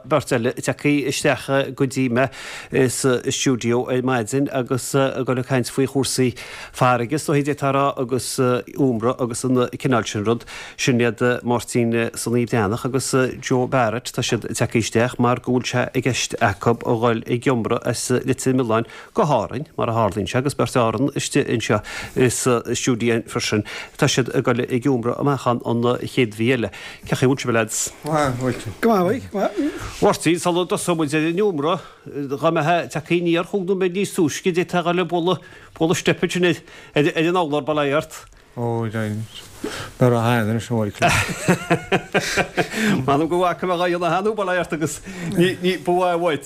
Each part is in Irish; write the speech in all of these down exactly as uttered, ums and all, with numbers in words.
tá beirt eile tagtha isteach go dtí mé sa stiúideo ar maidin agus ag dul ag caint faoi chúrsaí farraige is dóichí d'fhéadfá a rá agus iomradh agus an cineál sin rud. Sin iad Máirtín Sonaí Breathnach agus Joe Barrett. Tá siad tagtha isteach mar go bhfuil sé i gceist acu a dhul ag iomradh as Leitir Mealláin go hÁrainn, mar a tharlaíonn sé, agus beirt Árann istigh anseo sa stiúideo freisin. Tá siad ag dul ag iomradh amach an chéad mhí eile. Cén chaoi a bhfuil sibh, a lads? Go maith, go maith. Mháirtín, sula dtosóidh muid ar an iomradh, dá mbeifeá tagtha aniar chúig nóiméad níos túisce, d'fhéadfá a dhul ag bualadh, bualadh steip ansin ar, ar an urlár, bail ó Dhia ort. Ó, nuair a thaithin anois an bhfuil. M'anam go bhfaca mé dhá dhéanamh cheana, bail ó Dhia ort agus ní, ní, ba mhaith uait.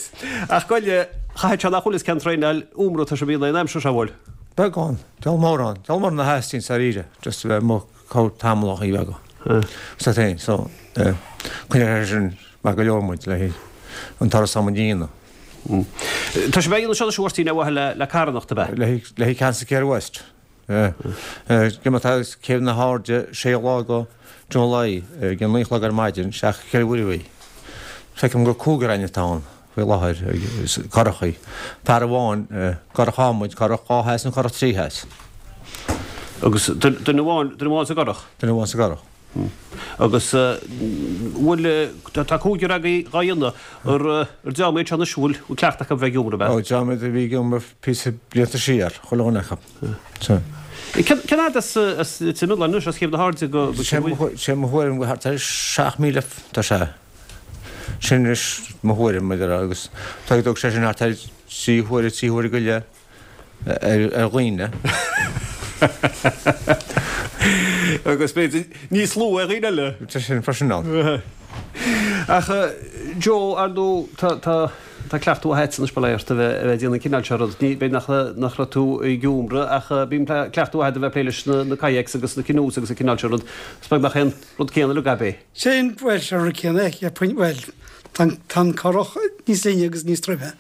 Ach goile, chaithfeadh sé nach bhfuil fhios cén traenáil iomradh atá sibh a dhéanamh an aimsir seo, bhfuil? Beagán, deabhal mórán, deabhal mórán a theastaíonn dáiríre, just a bheith amuigh chomh tamall a bheaga. Sa féin, so, coinneoidh sé sin maith go leor muid le an turas am a dhéanamh. Tá sibh a dhéanamh seo anois, a Mháirtín, ar mhaithe le, le carthanacht, ab ea? Le le Cancer Care West. Go mba tá Céibh na hAirde sé lá go July ag an naoi a chlog ar maidin seach ceithre uair a bhí. Feicim gur cúigear againn atá ann faoi láthair, curachaí. Fear amháin, curach adhmaid, curach dhá theas nó curach trí theas. Agus duine amháin, duine amháin sa gcurach? Duine amháin sa gcurach. Agus bhfuil, tá cúigear agaibh dhá dhéanamh, ar ar dream iad seo anois, bhfuil cleachtadh acu bheith ag iomradh, ab ea? Ó, dream iad a bhí ag iomradh píosa blianta siar, chuile dhuine acu. Cén fhad as as Leitir Mealláin anois, as Céibh na hAirde go go Sé mo thuairim go thart ar seacht míle tá sé. Sin anois mo thuairim, maidir agus tá ag sé sin thart ar trí huaire, trí huaire go leith ar dhaoine. Agus b'fhéidir níos lú ar dhaoine eile. Tá sin freisin ann. Ach Joe, ar ndóigh, tá tá tá cleachtadh mhaith agat anois bail ó Dhia ort a bheith a bheith ag déanamh an cineál seo rud. Ní b'fhéidir nach nach raibh tú ag iomradh ach bíonn cleachtadh mhaith agat a bheith ag plé leis na na kayaks agus na canoes agus an cineál seo rud. Is beag nach é an rud céanna uilig ab é. Sin, bhuel, sé an rud céanna é, cheapfainn, bhuel, tá an tá an curach níos linne agus níos troime.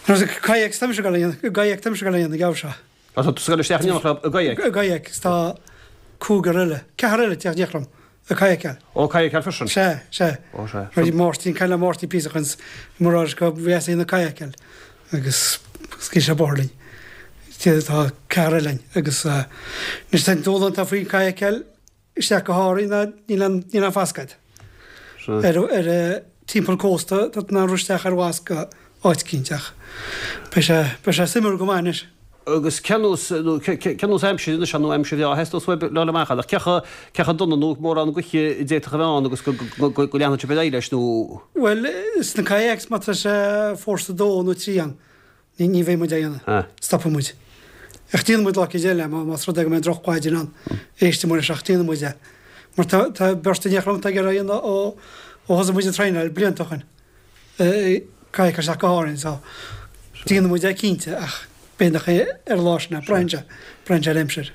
Nuair is kayaks tá mise ag dul a dhéanamh, i gkayak tá mise ag dul a dhéanamh an geimhreadh seo. Tá tú ag dul isteach in éineacht leo i gkayak? I gkayak, is tá cúigear eile, ceathrar eile ag teacht in éineacht liom ag kayakáil. Ó, kayakáil freisin? Sea, sea. Ó, sea. Bhí Máirtín, caint le Máirtín píosa ó shin, mar a go bhféadfaí a dhéanamh kayakáil agus scaoil sé bóthar linn. Tá ceathrar eile linn agus anois tá an dúshlán atá faoin kayakáil isteach go hÁrainn ná níl aon níl aon fasc agat. Ar ar timpeall cósta tá tú in ann rith isteach ar bhfasc go áit eicínt ach beidh sé beidh sé suimiúil go maith anois. Agus cén nós nó cén nós aimsire anois nó aimsir bhreá a theastós uaibh le dhul amach ann ach cé chomh cé chomh dona nó mórán gaoithe a d'fhéadfadh a bheith ann agus go go go go leanfadh sibh ar aghaidh leis nó. Bhuel sna kayaks má tá sé fórsa dó nó trí ann Ní, ní bheidh muid á dhéanamh. Stopfaidh muid. Ach déanfaidh muid lá eicínt eile, más rud é go mbeidh drochmhaidin ann, éistfidh muid leis ach déanfaidh muid é. Mar tá, tá beirt in éineacht liom atá ag iarraidh a dhéanamh ó, ó thosaigh muid ag traenáil blianta ó shin. Kayak isteach go hÁrainn, so déanfaidh muid é cinnte ach b'fhéidir nach é ar an lá sin é, braitheann sé, braitheann sé ar aimsir.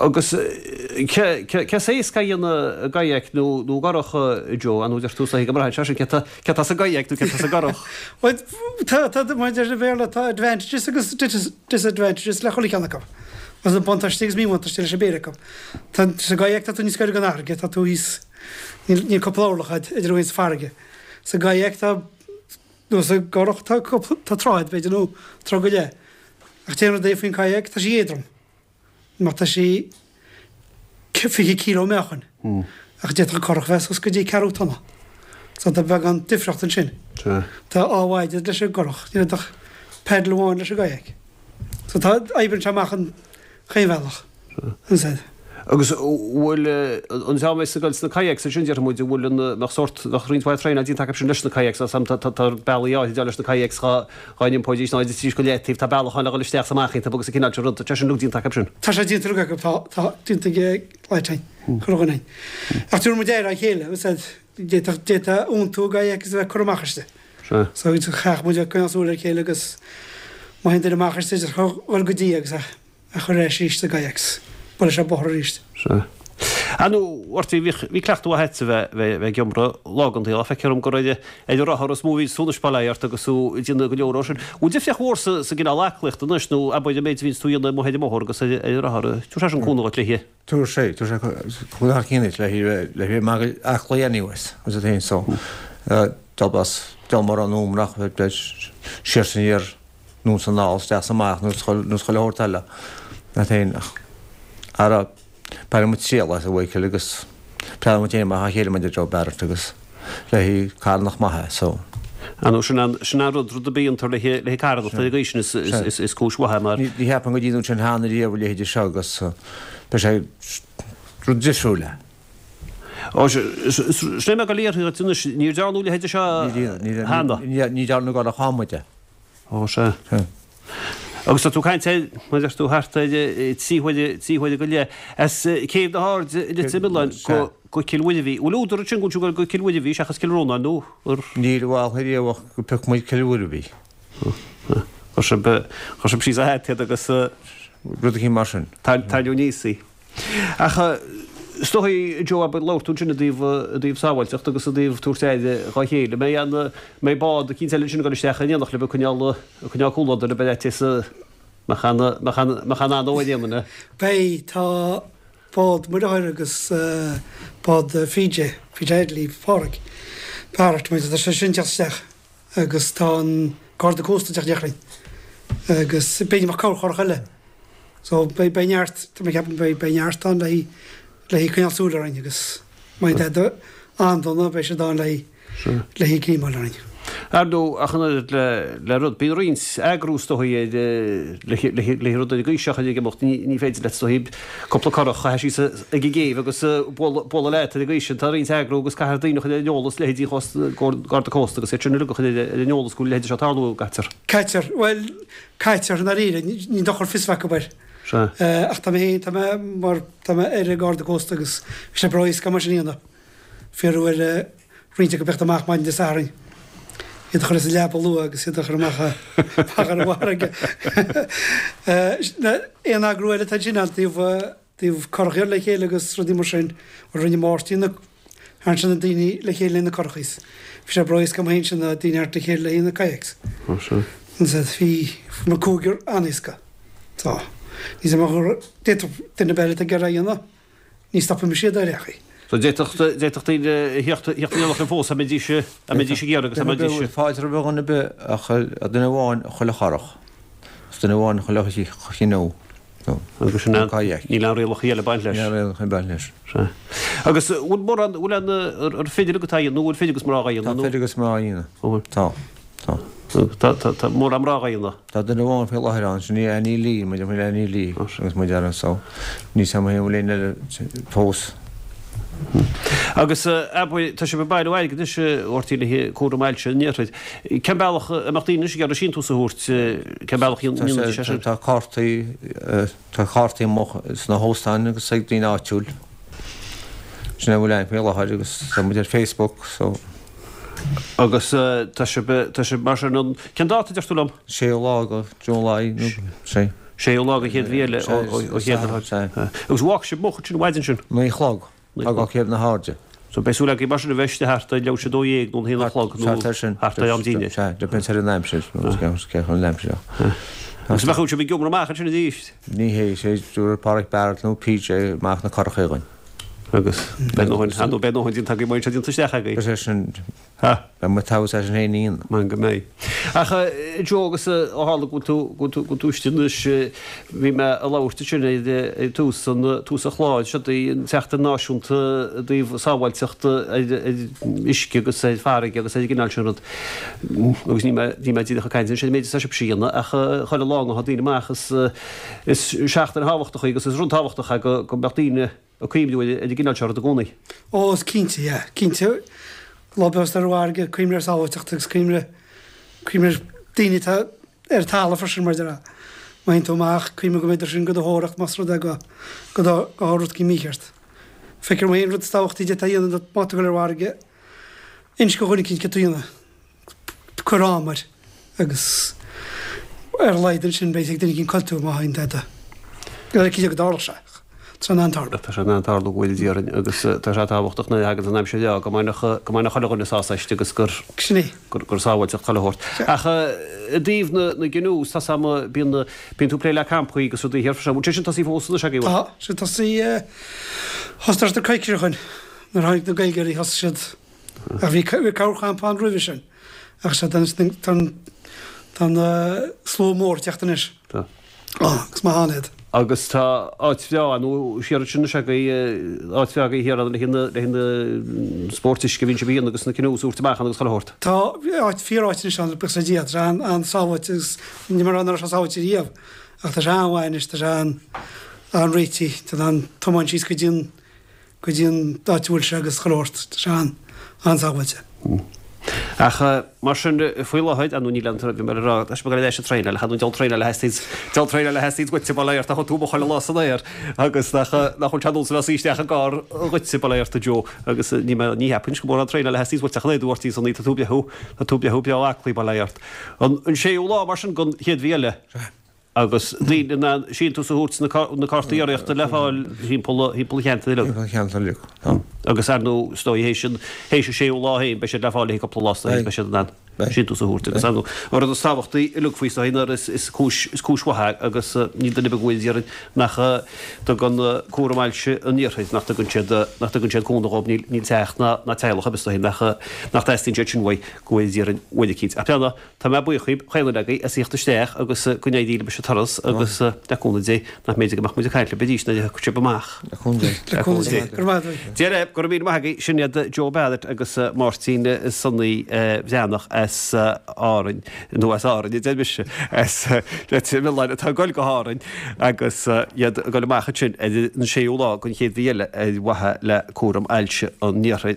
Agus cé, cé, cé is éasca a dhéanamh i gkayak nó, nó i gcurach, Joe, nó deir tú is dóichí go mbraitheann sé sin cé tá, cé tá sa gkayak nó cé tá sa gcurach? Bhuel, tá, tá, mar a deir an Béarla, tá advantages agus disadvantages le chuile cheann acu. Agus buntáistí agus míbhuntáistí leis an bpéire acu. Tá, sa gkayak tá tú níos gaire don fharraige, tá tú thíos, níl, níl cúpla orlach agat idir thú féin is an farraige. Sa gkayak tá, nó sa gcurach tá cúpla, tá troigh b'fhéidir nó troigh go leith. Ach an t-aon rud é faoin kayak, tá sí éadrom. Mar tá sí fiche kíló meáchain. Ach d'fhéadfadh curach bheith suas go dtí ceathrú tonna. So tá beagán difríocht ansin. Tá dhá bháide leis an gcurach, níl ach paddle amháin leis an gkayak. So tá, oibríonn sé amach an chaon bhealach. Ansan. Agus bhfuil an dream a bheas ag dul sna kayaks ansin, déarfaidh muid, an bhfuil an, mbeadh sórt, bheadh roinnt mhaith traenáil déanta acu sin leis na kayaks, tá tá tá bealaí áirid leis na kayaks dhá dhá n-iompóidís ná idir trí go leataobh, tá bealach ann le dhul isteach is amach iontu agus an cineál sin rud, tá sé sin uilig déanta acu sin. Tá sé déanta uilig acu, tá, tá déanta ag Lighting, chuile dhuine. Ach tabharfaidh muid aire dá chéile, is d'fhéadfadh, d'fhéadfá iontú i gkayak is a bheith ag cur amach aisti. Sea. So chaithfeadh muid a bheith ag coinneáil súil ar a chéile agus má théann duine amach aisti, dhul go dtí agus a. a chur ar ais arís sa gkayak 's bualadh sé bóthar arís. Sea. Ar ndóigh, a Mháirtín, bhíodh, bhí cleachtadh mhaith agat a bheith, bheith, bheith ag iomradh lá den tsaol. Feictear dom gur ar, ar an rothar is mó a bhíonns tú anois, bail ó Dhia ort, agus tú ag déanamh go leor dó sin. Bhfuil difríocht mhór sa, sa gcineál aclaíochta anois nó abair an méid a bhíonns tú a dhéanamh amuigh ar an mbóthar agus ar, ar an rothar? Tabharfaidh sé sin cúnamh dhuit léi. Tabharfaidh sé, tabharfaidh sé cúnamh thar cionn duit le, le bheith maith aclaí anyways, as it féin so. dul as dul mar an um nach siar san iar nó san ná isteach amach nó nó chuile shórt eile na féin ach ara b'fhearr muid triail as a Mhichael agus plean muid amach a chéile muid Joe Barrett agus le carnach maithe so. An sin an sin an rud rud a bíonn tar le le carnach ar an gcaoi sin is is is cúis mhaith mar. Ní cheapaim go dtí sin cheana riamh a leithéid seo agus beidh sé rud difriúil é. Ó sin mé go léir anois níor dearnadh a leithéid seo cheana. Ní dearnadh go raibh muid é. Ó sea. Agus tá tú ag caint mar deir tú thart ar trí huaire trí huaire go leith as Céibh na hAirde i Leitir Mealláin go go Cill Mhuirbhigh. Bhfuil údar ansin go bhfuil go Cill Mhuirbhigh seachas Cill Rónáin nó ar Níl bhuel riamh ach go pioc muid Cill Mhuirbhigh. Chuir sibh chuir sibh síos a hat iad agus rud eicínt mar sin. Taitneamh níos í. Ach is dóigh Joe abair labhair tú ansin i dtaobh i dtaobh sábháilteacht agus i dtaobh tabhairt aire dhá chéile. Mbeidh an mbeidh bád eicínt eile ansin ag dul isteach in éineacht libh ag coinneáil ag coinneáil comhluadar libh ar fhaitíos mbeadh an mbeadh an mbeadh an anó ar aon duine. Beidh, tá bád Muirtheoir agus bád PJ, PJ Hadley, Pádraig Barrett, muid, tá sé sin ag teacht isteach agus tá an Garda Cósta ag teacht isteach linn agus b'fhéidir go mbeadh corrchurach eile. So beidh beidh neart, tá mé ag ceapadh beidh beidh neart ann le le coinneáil súil orainn agus má tá tada an-dona beidh siad ann le le gríomáil orainn. Ar ndóigh, ach an oiread le le rud, bíonn roinnt eagrú is dóigh ar le le le rud ar an gcaoi seo ag imeacht, ní ní féidir leat is dóigh cúpla curach a chaitheamh síos ag an gcéibh agus bualadh bualadh leat ar an gcaoi sin. Tá roinnt eagrú agus caithfear daoine a chur ar an eolas, leithéidí Garda Cósta agus iad sin uilig a chur ar an eolas go bhfuil a leithéid seo ag tarlú, caitear. Caitear, bhuel, caitear i ndáiríre, ní dochar fios a bheith acu air. Sea. Ach tá mé féin, tá mé mar, tá mé ar an Gharda Cósta agus bhí sé breá éasca mar sin a dhéanamh. Fiafraí ar roinnt acu theacht amach maidin Dé Sathairn, iad a chur as an leaba luath agus iad a chur amach amach ar an bhfarraige. Aon eagrú eile atá ansin ná taobh, taobh curach le chéile agus rudaí mar sin. Bhuel rinne Máirtín na, tharraing sé na daoine le chéile na curachais. Bhí sé breá éasca amuigh ansin na daoine a tharraingt le chéile le na kayaks. Ó sea. Bhí, bhí cúigear an-éasca. Tá. Ní d'fhéadfadh duine ar bith eile atá ag iarraidh a dhéanamh, ní stopfaidh mise iad ar aon chaoi. So d'fhéadfadh d'fhéadfadh daoine a theacht theacht in éineacht libh fós dá mbeidís dá mbeidís ag iarraidh agus dá mbeidís. Fáilte roimh dhuine ar bith ach duine amháin chuile churach. Is duine amháin chuile chinneadh. Agus sin an, níl aon rialacha eile ag baint leis. Níl aon rialacha ag baint leis. Sea. Agus bhfuil mórán, bhfuil aon, ar fir atá á dhéanamh nó bhfuil fir agus mná á dhéanamh Tá nó? fir agus mná á dhéanamh. Bhfuil? Tá. Tá. Tá, tá, tá mórán mná á dhéanamh. Tá duine amháin faoi láthair ann, sin í Annie Lee, muid faoi Annie Lee agus muid ar an so. Níl 's agam an bhfuil éinne eile fós. Agus abair, tá sibh ag bailiú airgid anois, a Mháirtín, le haghaidh cúram ailse an iarthair. Cén bealach a mbeadh daoine anois ag iarraidh síntiús a thabhairt, cén bealach a ndéanfaidís é sin? Tá cártaí, tá cártaí amuigh sna hóstáin agus ag daoine áitiúil. Sin é a bhfuil ann faoi láthair agus tá muid ar Facebook so. Agus tá sibh, tá sibh mar sin an, cén dáta a deir tú liom? Séú lá de July nó sé. Séú lá den chéad mhí eile ó Chéibh na hAirde. Agus bhfágfaidh sibh moch ansin an mhaidin sin? Naoi a chlog, ag dul Céibh na hAirde. So beidh súil agaibh mar sin a bheith istigh thart ar leathuair tar éis a dó dhéag nó a haon a chlog nó thart ar am dinnéir. Sea, depends ar an aimsir, nó cé chun an aimsir ach. Agus bheadh sibh ag iomramh amach ansin arís? Ní hé, sé dúradh Pádraic Barrett nó PJ amach na curachaí againn. Agus beidh ndóthain, ar ndóigh beidh ndóthain déanta agaibh, beidh sé déanta isteach agaibh. Is é sin, Ha! beidh muid togha as sin féin a dhéanamh. Maith go mbeidh. Ach Joe agus ó tharla go bhfuil tú, go bhfuil tú, go bhfuil tú istigh anois, bhí mé ag labhairt ansin ar, ar tús an, tús an chláir, seo í an tSeachtain Náisiúnta i dtaobh sábháilteachta ar, ar uisce agus ar farraige agus ar an gcineál sin rud. Agus níl mé, níl mé díreach ag caint anois ar an méid atá sibhse a dhéanamh ach chuile lá atá daoine amach is, is seachtain thábhachtach í agus is rud tábhachtach é go, go mbeadh daoine ag cuimhniú ar an gcineál seo rud i gcónaí. Ó, is cinnte, yeah. Cinnte, lá beag ar an bhfarraige, cuimhnigh ar sábháilteacht agus cuimhnigh, cuimhnigh ar daoine atá ar an talamh freisin mar a déarfá. Má théann tú amach, cuimhnigh go mbeidh siad do do thóraíocht más rud é go, go dtarlódh rud éicint mícheart. Feictear dom féin rud is tábhachtaí a d'fhéadfá a dhéanamh má tá tú ag dul ar an bhfarraige, inis do dhuine éicint céard tá tú a dhéanamh. Cuir am air agus ar a laghad ansin beidh ag duine éicint cá bhfuil tú má théann tada. Ní cinnte go dtarlódh sé ach tá sé in ann tarlú. Tá sé in ann tarlú go bhfuil déarfainn agus tá sé tábhachtach nuair a thagann an aimsir bhreá go mbainfeadh go mbainfeadh chuile dhuine sásamh aisti agus gur Sin é. gur gur sábháilteacht chuile shórt. Ach i dtaobh na na gcanoes tá sam bíonn bíonn tú ag plé le campaí agus rudaí thiar freisin. Bhfuil sé sin tosaithe fós anois agaibh? Tá sé tosaithe thosaigh siad coicís ó shin nuair a tháinig na Gaeilgeoirí thosaigh siad Ach bhí corrchampa ann roimhe sin. Ach sea, tá an slua mór ag teacht anois. Tá. Agus maith ann iad. Agus tá áit bhreá ann, nó siar ansin is ea, áit bhreá agaibh thiar ann le haghaidh na spóirt uisce a bhíonn sibh a dhéanamh agus na canoes a thabhairt amach ann agus chuile shórt. Tá áit, fíor áit anois ann, buíochas le Dia. Tá sé an-sábháilte agus ní mar nach raibh sé sábháilte riamh ach tá sé an-mhaith anois, tá sé an-réitithe, tá an tiomáint síos go dtí an go dtí an áit a bhfuil sé agus chuile shórt, tá sé an-sábháilte. Ach mar sin, faoi láthair, ar ndóigh níl aon bhí mé ag rá, tá sé ag dul leis an traenáil, ach ar ndóigh diabhal traenáil a theastaíonns, diabhal traenáil a theastaíonns uait, bail ó Dhia ort, ach tú amuigh chuile lá san aer agus nach, nach bhfuil sé nós le suí isteach i gcarr dhuitse, bail ó Dhia ort a Joe, agus ní mé, ní cheapfainn go mórán traenáil a theastaíonns uait ach an oiread, a Mháirtín Sonaí, tá tú breá, tá tú breá, breá aclaí, bail ó Dhia ort. An, an séú lá mar sin den chéad mhí eile. Agus daoine in ann síntiús a thabhairt na cártaí urraíochta le fáil thimpeall an cheantair uilig. Timpeall an cheantair uilig, tá. Agus ar ndóigh, is dóigh, théis an théis an séú lá féin, beidh siad le fáil le haghaidh cúpla lá, is dóigh, beidh siad in ann síntiús a thabhairt. Agus ar ndóigh, an rud is tábhachtaí uilig faoi, is dóigh, ná is is cúis is cúis mhaith é agus níl duine ar bith againn a déarfainn nach dtugann Cúram Ailse an Iarthair, nach dtugann siad nach dtugann siad cúnamh dhóibh, níl níl teach ná ná teaghlach ar bith, is dóigh, nach nach dteastaíonn siad sin uaidh go bhfuil déarfainn uaidh eicínt. Ach breathnaigh, Tá mé buíoch dhíbh, chaon duine agaibh, as a thíocht isteach agus go n-éirí libh leis an turas agus le cúnamh Dé nach mb'fhéidir go mbeadh muid ag caint libh arís nuair a thiocfaidh sibh amach. Le cúnamh Dé. Le cúnamh Dé. Go raibh maith agat. Dia libh, go raibh míle maith agaibh. Sin iad Joe Barrett agus Máirtín Sonaí Bhreathnach as Árainn, nó as Árainn a deir mise, as Leitir Mealláin atá ag dul go hÁrainn agus iad ag dul amach ansin ar an séú lá den chéad mhí eile ar mhaithe le cúram ailse an iarthair.